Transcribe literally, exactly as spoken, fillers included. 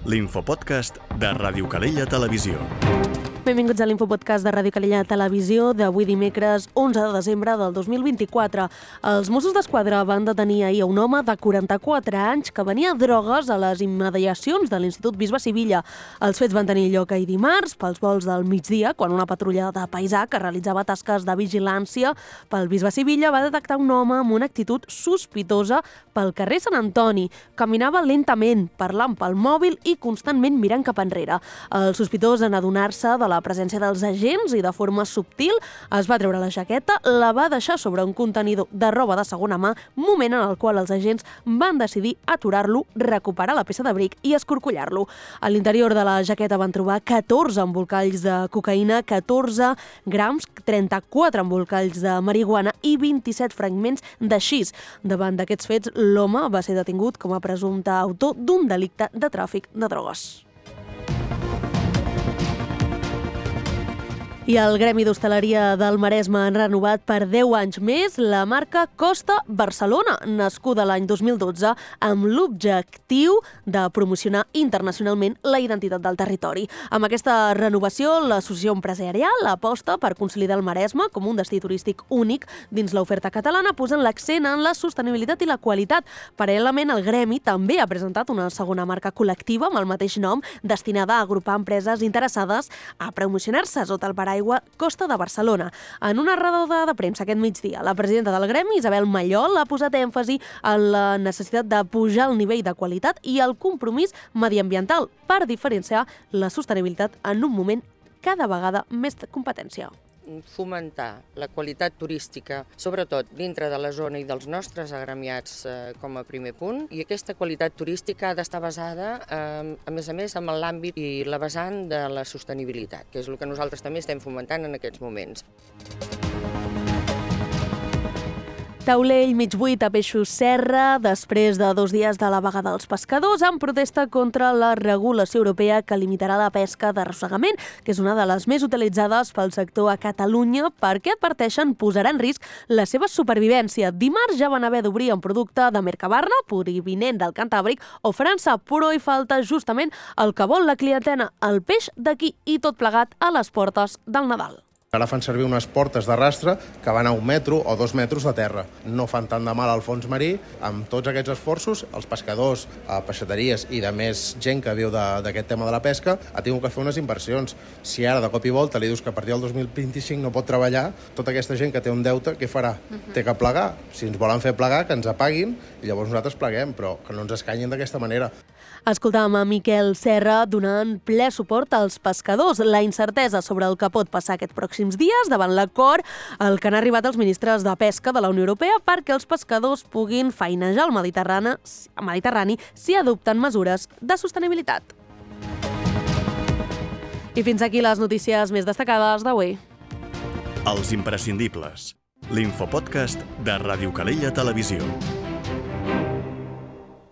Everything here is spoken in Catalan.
l'infopodcast de Ràdio Calella Televisió. Benvinguts a l'Infopodcast de Ràdio Calella Televisió d'avui dimecres onze de desembre del dos mil vint-i-quatre. Els Mossos d'Esquadra van detenir ahir un home de quaranta-quatre anys que venia drogues a les immediacions de l'Institut Bisbe Sivilla. Els fets van tenir lloc ahir dimarts, pels vols del migdia, quan una patrulla de paisà que realitzava tasques de vigilància pel Bisbe Sivilla va detectar un home amb una actitud sospitosa pel carrer Sant Antoni. Caminava lentament, parlant pel mòbil i constantment mirant cap enrere. El sospitós, en adonar-se de la la presència dels agents i de forma subtil es va treure la jaqueta, la va deixar sobre un contenidor de roba de segona mà, moment en el qual els agents van decidir aturar-lo, recuperar la peça d'abric i escorcollar-lo. A l'interior de la jaqueta van trobar catorze embolcalls de cocaïna, catorze grams, trenta-quatre embolcalls de marihuana i vint-i-set fragments de xis. Davant d'aquests fets, l'home va ser detingut com a presumpte autor d'un delicte de tràfic de drogues. I el Gremi d'Hostaleria del Maresme han renovat per deu anys més la marca Costa Barcelona, nascuda l'any dos mil dotze amb l'objectiu de promocionar internacionalment la identitat del territori. Amb aquesta renovació, l'associació empresarial aposta per consolidar el Maresme com un destí turístic únic dins l'oferta catalana, posant l'accent en la sostenibilitat i la qualitat. Paral·lelament, el Gremi també ha presentat una segona marca col·lectiva amb el mateix nom, destinada a agrupar empreses interessades a promocionar-se sota el paraigua Costa de Barcelona. En una roda de premsa aquest migdia, la presidenta del Gremi, Isabel Mallol, ha posat èmfasi en la necessitat de pujar el nivell de qualitat i el compromís mediambiental per diferenciar la sostenibilitat en un moment cada vegada més de competència. Fomentar la qualitat turística, sobretot dintre de la zona i dels nostres agremiats eh, com a primer punt, i aquesta qualitat turística ha d'estar basada, eh, a més a més, en l'àmbit i la vessant de la sostenibilitat, que és el que nosaltres també estem fomentant en aquests moments. Taulell, mig buit a Peixos Serra, després de dos dies de la vaga dels pescadors, en protesta contra la regulació europea que limitarà la pesca d'arrossegament, que és una de les més utilitzades pel sector a Catalunya, perquè adverteixen posarà en risc la seva supervivència. Dimarts ja van haver d'obrir un producte de Mercabarna, provinent del Cantàbric o França, però hi falta justament el que vol la clientela, el peix d'aquí, i tot plegat a les portes del Nadal. Ara fan servir unes portes d'arrastre que van a un metro o dos metres de terra. No fan tant de mal al fons marí. Amb tots aquests esforços, els pescadors, peixateries i de més gent que viu d'aquest tema de la pesca ha tingut que fer unes inversions. Si ara de cop i volta li dius que a partir del dos mil vint-i-cinc no pot treballar, tota aquesta gent que té un deute, què farà? Uh-huh. Té que plegar. Si ens volen fer plegar, que ens apaguin i llavors nosaltres pleguem, però que no ens escanyin d'aquesta manera. Escoltàvem a Miquel Serra donant ple suport als pescadors. La incertesa sobre el que pot passar aquests pròxims dies davant l'acord al que han arribat els ministres de Pesca de la Unió Europea perquè els pescadors puguin feinejar al Mediterrani, al Mediterrani si adopten mesures de sostenibilitat. I fins aquí les notícies més destacades d'avui. Els imprescindibles. L'infopodcast de Ràdio Calella Televisió.